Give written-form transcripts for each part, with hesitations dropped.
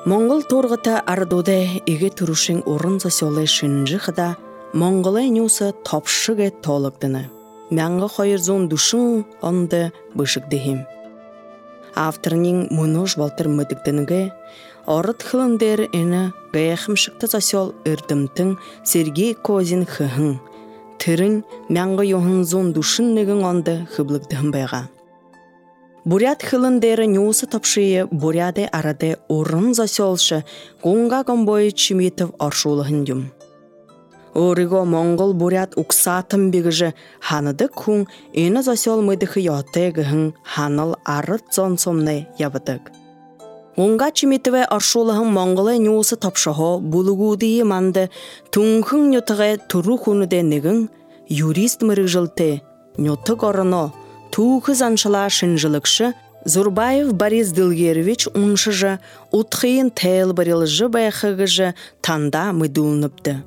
Монгол торғыта ардуде иге турушин урын засёлы шинжихда Монголай нюса топшыге толыгдыны. Мянга хайырзун душын онды бышыгдыхим. Авторнин мунуш балтыр мыдыгдыныге орыт хылындер эна гаяхымшыкта засёл ырдымтын Сергей Козин хыхын. Тырын мянга йохынзун душын неген онды хыблыгдыхым байга. Бурят хылындері нюсы топшые буряде араде урын засёлшы гунга гомбой чимитов аршулыхын дюм. Ориго монгол бурят уксатым бігіжі ханыды күн ені засёл мыдыхы ятегіхін ханыл арыт зонсомны ябыдык. Гунга чимитове аршулыхын монголы нюсы топшығы булугудии манды түнхын нютығы туру хуныде нігін юрист мырыг жылты нютық орыно Туғыз аншыла шынжылықшы Зурбаев Борис Дылгерович уншыжы утхыйын тәйл барылжы байқығыжы танда мүдулныпты.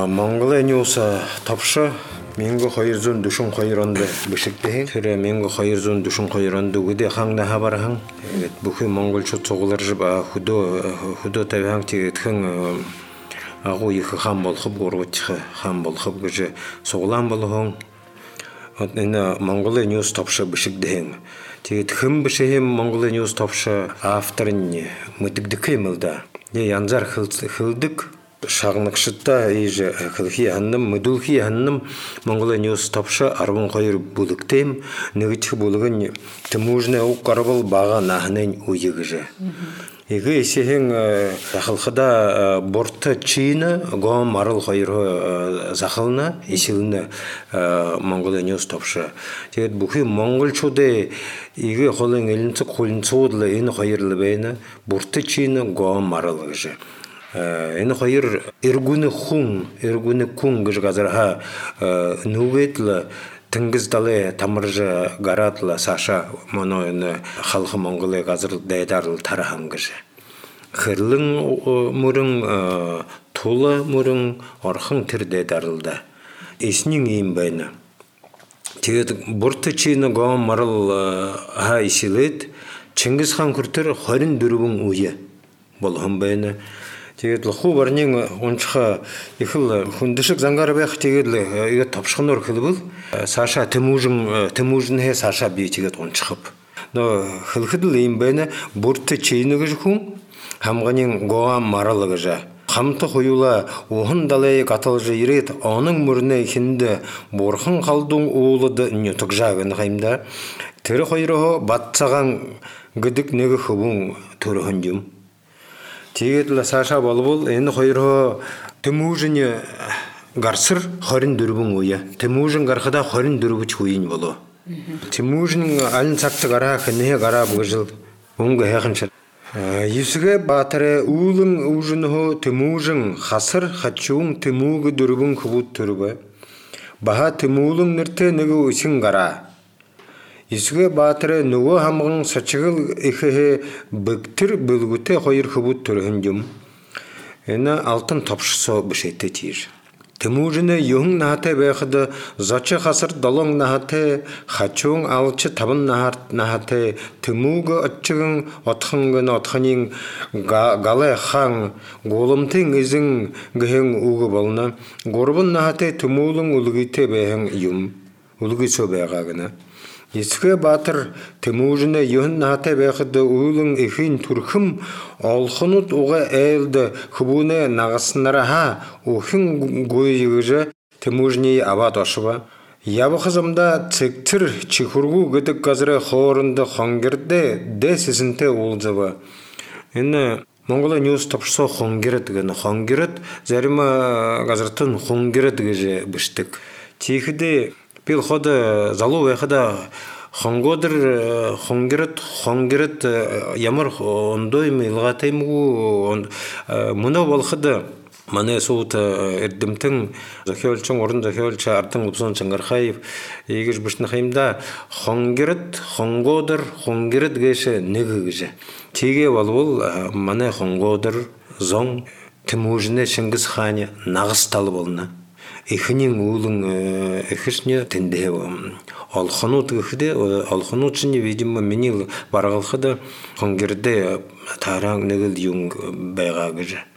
Монголай нюса тапшы Менгі қайырзун дүшін қайыранды бішіктейін. Түрі менгі қайырзун дүшін қайыранды өде қаңда хабархан. Бүхі монголчы соғылар жып худо тәбіған тегетхін ағу екі қан болқып, ғорғытчы қан болқып күжі соғылан болуғын. Монголай нюс тапшы бішіктейін. Тегетхін бішігім Монголай нюс тапшы авторын мүтікдікі емілді. Янзар қылдық. Шағынықшытта ежі қылхи анным, мүділхи анным Монголай нюс тапшы арбын қайыр бұлықтайым, нөгітші бұлығын тімужны ұқ қарбыл баға нағынын ұйығыжы. Егі есеген қылқыда борты чиіні ғам арыл қайыры зақылына, есіліні Монголай нюс тапшы. Тегет бұқи Монголчуды егі қолын елінсі қолын соғыдылы ені қайырлы бәйіні борты чиіні ғам арылығыжы. Эни хайыр эргуны кун гыж газарха нуветла тыңгыз далы тамыржы гаратла Саша моно эни халқы монголы газыр дайдарыл тарахан гыжы. Хырлың мурың тулы мурың орхың тир дайдарылда. Эснин ийм байна. Тегет бурты чийны гам марыл ха исилет Чингис хан күртер харин дүрүбүн уйы болхын байна. Тегет лху барнин ончха ихыл хундышык зангары бэх тегет иге тапшхынор хылбыл Саша Тимужин хе Саша би тегет ончхып. Но хылхыдыл им бэна бурты чейнүгы жхун хамганин гоам маралыгы жа. Хамты хуюла уһын далай катылжы ирет аның мурны хинде борхын қалдың уылыды нютук жагын хаймда. Тері хойрохо батсаган гыдык неги хубун төрөхөн жум. Тегетла Саша болбол, эни хойрохо Тимужин гарсыр хорин дүрбүн уя. Тимужин гархада хорин дүрбүч уйын болу. Тимужин алын сакты гара хыне гара бұжыл. Унга хехыншыр. Юсуге батыры улың ужынхо Тимужин хасыр хачуң Тимугы дүрбүн кубут түрбі. Баха Тимулың нырты неги уйсын гара. Юсуге батыры нуғы хамғын сачығыл ихе бүктір бүлгіте қойыр хыбут түрін жүм. Эна алтын топшысо бішетті тир. Тимужины юң нахаты бәқыды зачы қасыр долың нахаты, хачуң алчы табын нахаты, Тимуғы отчығын отхыңгын отхынын галы хаң, голымтың ізің гіхің уғы болына, горбын нахаты Тимулың үлгіте бәхің юм, үлгісо бәғағына. Еске батыр Тимужины юн нахаты бәқыды уылың ихин түрхім олхынут уға әлді хыбуны нағысынара ха ухин гойығыжы Тимужни абат ашыба. Ябы қызымда цектір чихургу гыдық қазыры хорынды хонгерді де сесінте олзыба. Енді Монгола нюс тапшысо хонгерет гені. Хонгерет зәрімі қазыртын хонгерет геже біштік. Тихіде Пил хода залу вехада хонгодыр хонгерет ямар ондой милгатайму муна болхада мане суут эрдимтин захиолчон орун захиолча артын упсон чангархаев егиш бишнахаймда хонгодыр геше негиже теге болбол мане хонгодыр зон Тимужине Чингис хане нагыс талы болна. ихнин уулын ихшне тэнде алханут гэхдэ алханут чинь видимо миний баргалхад хонгэрдэ таран нэгэл юм байгаа гэж.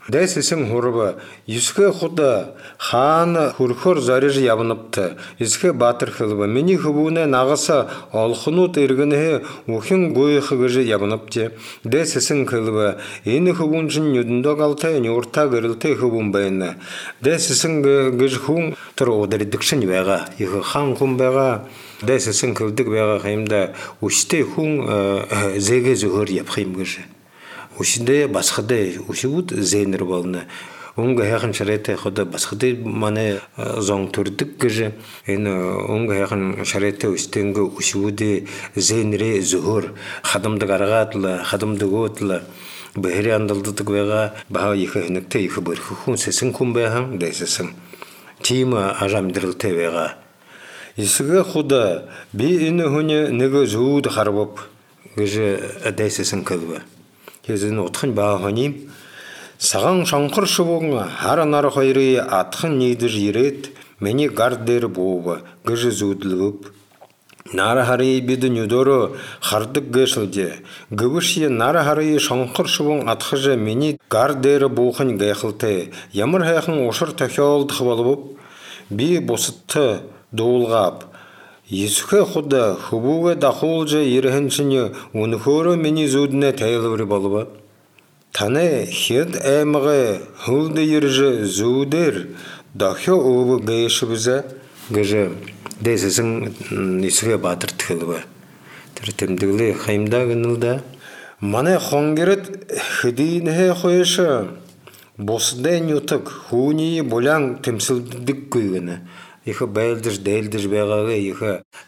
Дэсэсэн хурба юсхэ худа хаан хөрхөр зариж явнапты юсхэ баатар хылба миний хөвүнэ нагаса олхнууд иргэнэ ухин гойх гэж явнапты дэсэсэн хылба энэ хөвүн чинь нүдэндөө галтай нүрта гэрэлтэй хөвүн байна дэсэсэн гэж хүн тэр удирдагчны байгаа их хаан хүн байгаа дэсэсэн хөвдөг байгаа хэмдэ үстэй хүн зэгэ зөхөр явах юм гэж Ушиндэ басхадэ ушигуд зээнэр болно. Унга хайхан шарайтай хода басхадэ мане зон төрдөг гэж энэ унга хайхан шарайтай үстэнгэ ушигуд зээнэрэ зөхөр хадамдаг аргаатла хадамдаг өтла бэхри андалддаг байгаа баа их хэнэгтэй их бэрхэн сэсэн хүн байхан дэссэн. Тим ажамдрэлтэй байгаа. Исгэ худа би энэ хүн нэг зүүд харвап гэж дэссэн кэлбэ. Хэзэн утхан бааханим саган шонхор шувун хар нар хоёрын атхан нийдэр ирээд миний гар дээр буув гэж зүудлэв. Нар харыг бид нүдөрө хардаг гэшэлж гүвши нар харыг шонхор шувун атхаж миний гар дээр буухан гайхалтай ямар хайхан ушир тохиолдох болов би бусадтай дуулгав Исхэ худа хөвүүгээ дахуулж ирхэн чинь өнөхөөрөө миний зүуднэ тайлбар болов. Таны хэд аймага хөлд ирж зүудэр дахио өв гээшвзэ гэж дэссэн Исхэ баатар тхэлбэ. Тэр тэмдэглээ хаймда гэнэлдэ. Манай хонгэрд хэдийнэ хойш бусдын ютг хүүний булан тэмсэлдэггүй гэнэ. Их байлдж дээлдж байгаагээ их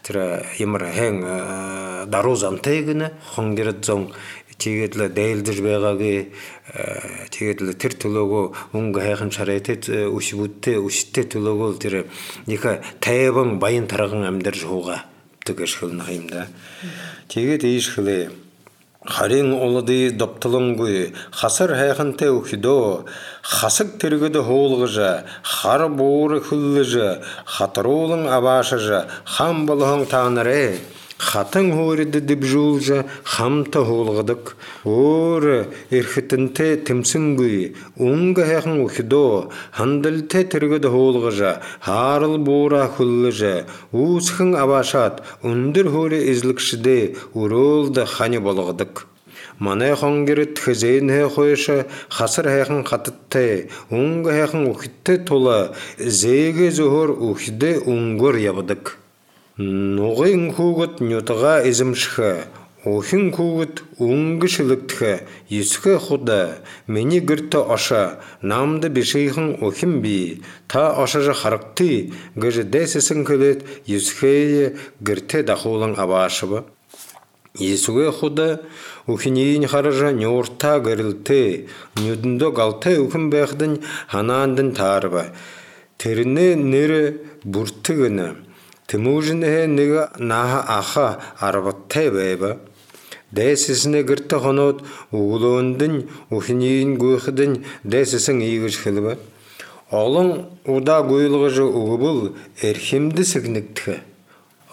тэр ямар хэн даруу замтай гэнэ хонгэрд зон тэгээд л дээлдж байгаагээ тэгээд л тэр төлөөгөө өнгө хайхан шарайтэд үштэй төлөөгөө тэр их тайван баян тарган амьдарч хууга тэгэж хэлнэ юм да. Тэгээд ийшхлээ Харин улады доптолонгүй хасар хайхантай өхдөө хасаг тэргэд хуулгаж хар буур хөллөж хатруулан аваашаж хам болгон таанарэ хатан хөөрөд дэвжүүлж хамта хуулгадаг өөр эрхтэнтэй тэмсэнгүй өнгө хайхан өхдөө хандалтай тэргэд хуулгаж хаарл буура хөллөж үүсхэн аваашаад өндөр хөөрэ эзлэгшдэ өрөөлд хани болгодог Манай хонгэрд хэзээнэ хойш хасар хайхан хаттай өнгө хайхан өхдөө тула зээгэ зөхөр өхдөө өнгөр явдаг Нугын хүүгд нютга эзэмших охин хүүгд өнгө шилэгдэх Исхэ худа миний гэрт оша намд бишийхэн охин би та ошаж харагты гэж дэссэн хэлээд Исхэ гэртэ дахуулан аваашва Исхэ худа охинийн харж нюрта гэрэлтэй нүдэндөө галтай охин байхдын ханаандын таарва тэрнээ нэр бүртгэнэ Тэмүүжнэ нэг наа аха арваттай байва. Дэсэснэ гэртэ хоноод өглөөндөн өхнийн гүйхэдэн дэсэсэн ийгэж хэлбэ. Олон удаа гуйлгаж өгвөл эрхэмдэ сэгнэгдэх.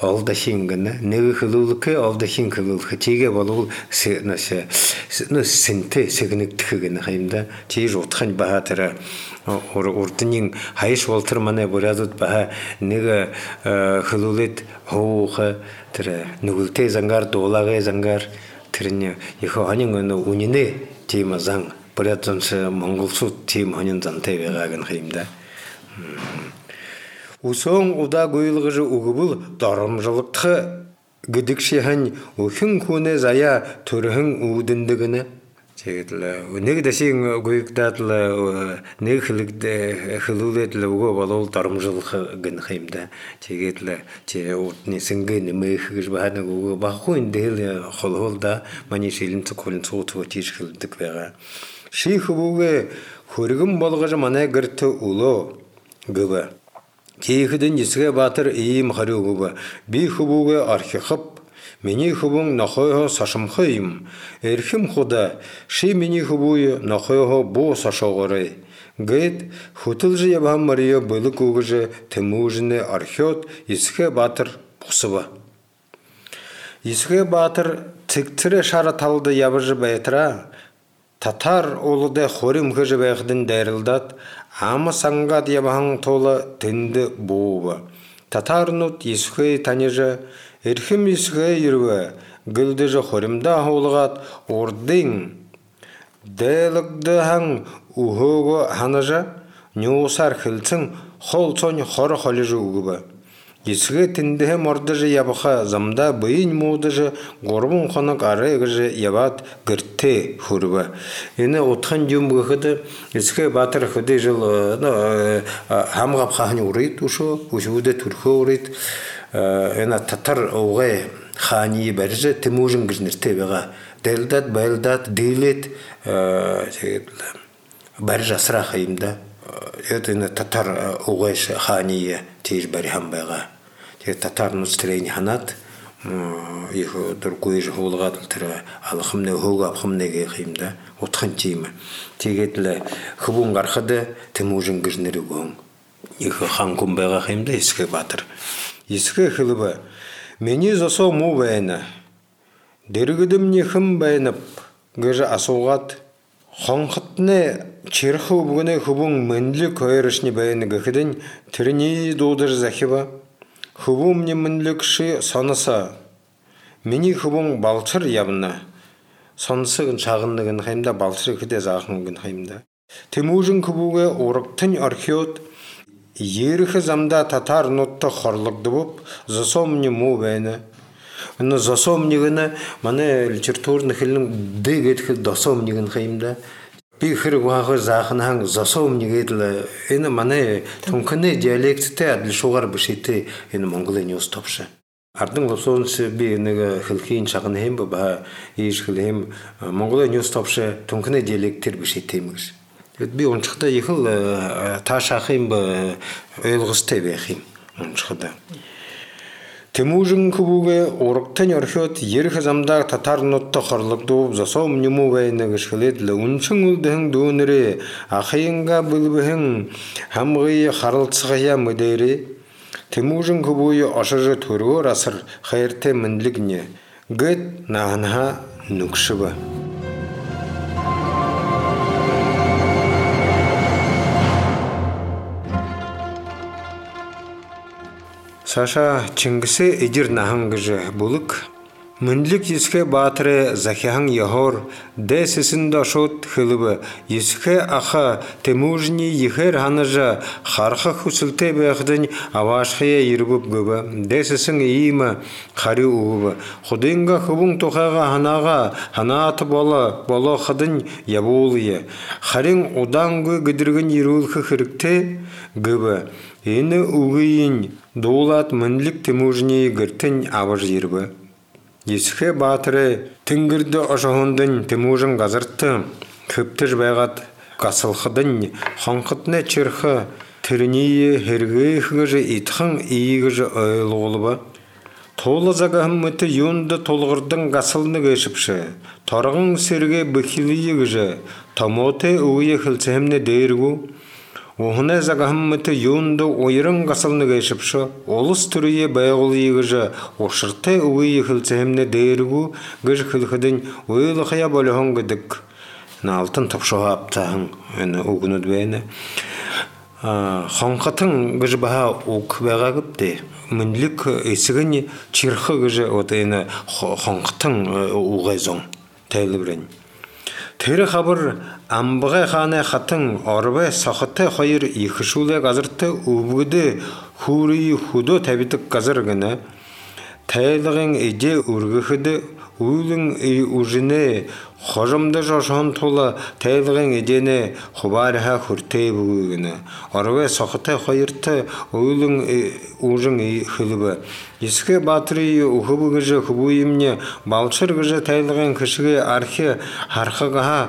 Олдашин гэнэ нэг хэлүүлэхэ олдашин хэлүүлэх чигээ болвол сэнтэй сэгнэгдэх гэнэ хаймда чиж утхан баатара урднын хайш волтер манай бурядууд баа нэг хэлүүлээд хууха тэр нүгэлтэй зангаар дуулагай зангаар тэрний их ханин үнэнэ тийм зан бурядсан монголчууд тийм ханин зантай байгаа гэнэ хаймда Усон удаа гуйлгаж өгвөл доромжлогдох гэдэг шихэн өхин хүнээ заяа төрхөн үүдэндэгнэ. Тэгээд л нэг дэшийн гуйгдаад л нэг хэлүүлээд л өгөө болов доромжлох гэнх юм да. Тэгээд л чи урдны сэнгэ нэмэх гэж баанаг өгөө баггүй энэ холхол да маний шилэн цохолын цуутгоо тийш хэлдэг байгаа. Ших өгөө хөргөн болгож манай гэрт өлөө гэв. Кихэдэн Исхэ баатар ийм хариугав би хөвүүгээ архихап миний хөвөн нохойхоо сашамхай юм эрхэм худа ши миний хөвүү нохойхоо буу сашоогорой Гэт хутылжы ябхан Мария былык угыжы Темужины археот Исхе Батыр бұқсыба. Исхе Батыр тіктірі шары талды ябыжы бәйтіра, татар олыды хорим ғыжы бәйқдін дәрілдат, амы саңғат ябхан толы тінді боуы. Татар нұт Исхе таныжы, эрхим Исхе ирві, гүлдіжі хоримда олығат ордың, дәлікді хаң ухығы ханажа, нюсар хілцің қол соң хоры холыжы угыбы. Исхе тіндігі мордыжы ябыға замда бұйын мудыжы ғорбын қонық арығыжы ябат гіртте хүрбі. Ені отқан дюм бұғыды Исхе Батыр хүді жыл хамғап қағын ұрайд ұшы, ұшуды түркі ұрайд. Ені татар оғай хани бәржі Темужин гіжнірте беға. Дәлдат, бәлдат, дейлет бәржі асыра қайымда. Это татар оғайш хани тейж бәрі хам бәға. Татар нұстырейін ханат, их дұргуй жы ғолғат ұлтыры алықымны ғоғы апқымнеге қайымда. Отқан теймі. Тегетлі хыбун қарқыды Темужин гіжнірі ғоң. Их хан күн бәға қайымда Исхе Батыр. Исхе хылыбы. Мені зосо му бәйіні. Дергідім нехім бәйініп, гөжі асуғат. Қонқытны черху бүгіне хубун мінлі көйірішні бәйіні гіхідін түріне доудыр зәхіба. Хубун мне мінлі кіші сонысы. Мені хубун балчыр ябына. Сонысы гін шағынлығын қаймда, балчыры кіде зағын гін қаймда. Темужин күбуге орықтын археот, еріхі замда татар нотты хорлықты боп, зосом мне му бәйіні. Оны засомнигіні, маны литературны хілінің дегетхі досомнигін қайымда. Бейхір ғағы зақынған засомнигетлі, ені маны түнкіні диалектіте әділ шоғар бішейті ені Монголия неос топшы. Ардың лапсонысы бейінігі хілкейін шағын хем ба, еш хілі хем Монголия неос топшы түнкіні диалектер бішейтеміз. Бей оншықта ехіл та шақым ба өйлғысты бейхим оншықта. Темужин күбуге орықтын археот ерхі замда татар нотты қорлықты оп засом нему бәйіні кішкілетлі. Уншың үлдіхің дөңірі, ақиынға бүлбіхің, хамғыйы қарылтсығыя мүдейрі. Темужин күбуге ашыжы түргір асыр қайырты мінлігіне. Гөт нағынға нүкшібі. Саша Чингисе идир нахангыжы булык. Мүнлік Исхе Батыры захихан яхор, дәсісін дашот хылыбы. Исхе аха Темужини ехер ханажа, харха хусылте бәғдін авашхия ербіп гөбі. Дәсісін иімі қари уғыбы. Худынға хыбың тоқаға ханаға, ханааты болы қыдын ябуылыя. Харин одан гө гідіргін ерулхы хірікте гөбі. Ені уғыйын доулат мүнлік Темужини гіртін аваж ербі. Исхе Батыры тінгірді ошағындың Темужин ғазыртты, көптір бәғат қасылқыдың, қанқытны чырқы, түрінейі хергей ғыжы итқың иігіжі өйлі олыбы. Толы зағығым мүті юнды толғырдың қасылны көшіпші, тарғың серге бүхілі ғыжы, тамоты ұйы қылсығымны дейіргу. Оғына зағамыты юнды ойырын қасылны кәшіпші, олыс түріе бәйғылы егіжі, оқшырты ұғы ехілцеміне дейіргу, ғыж қылқыдың ойлы қия болығын күдік. Алтын тапшыға аптағын ұғыны дбәйіні. Қанқатын ғыж баға ұқ бәға күпті. Мүнлік есігін чирқы ғыжы қанқатын ұғайзон тәйлі бірін. Тері қабыр амбығай қаны қатын арбай сақыттай қайыр екішулі ғазыртты ұбғыды хурии худо тәбітік ғазырғыны. Тәйліғын еде үргіхіді ұйлың ұжыны қожымды жошын толы тәйліғын едені құбарыға хүртей бүгігіні. Арбай сақыттай қайырты ұйлың ұжың хілібі. Исхе Батыры ұхыбы ғыжы құбуйымне балшыр ғыжы тәйліғын кішіге архи харқығыға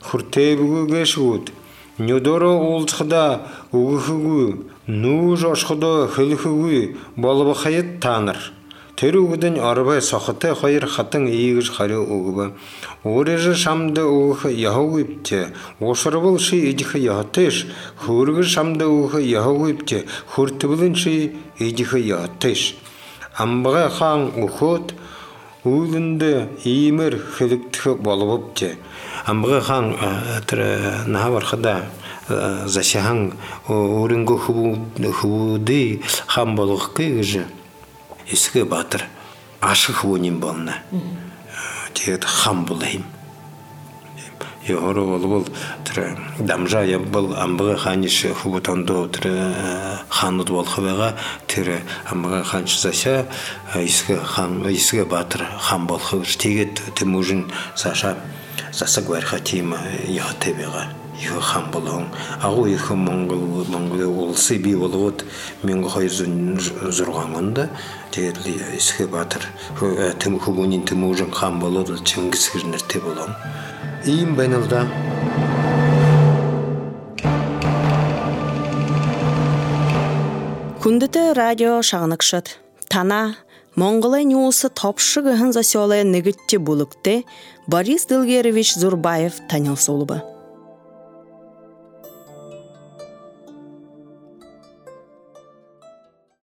хүртей бүгіге шуыд. Нюдоры олчықда ұғығығы, ну жошқыда хіліхігі болыбы қайыт таныр. Тэрүүгдэн арбай сохотой хоёр хатан ийгэж хариу өгөв. Өөрөөр шамд өгөх Яховипте уушрвал ши идэх ятеш хөргөр шамд өгөх Яховипте хөртвөлн ши идэх ятеш. Амбага хаан өгөхөд үүлэнд иймэр хэлэгдэх боловч Амбага хаан тэр наавархада зашахан өөрөнгө хөвөдий хам болгох гэж эсгэ баатар ашиг хүнийн болно. Тэгээд хам болхим. Яороо болвол тэр дамжаа явбал Амбага хааны хөвөтөндөө тэр хаанууд болох байгаа. Тэр Амбага хаан заша эсгэ баатар хам болох гэж тэгээд тэмүүжин саша засаг бариха тийм яатай байгаа. Их хам болон агуу их Монгол улсы бий болгоод 1206 онд тэгээд эсгэ баатар хөвөний тэмүүжин хам болоод Чингис гэр нэртэй болон ийм байна л да. Хүндэтэй радио шагнагшат тана Монголын ньюс топшыгын засёлы нэгитти булыкте Борис Дилгерович Зурбаев танылсолуба.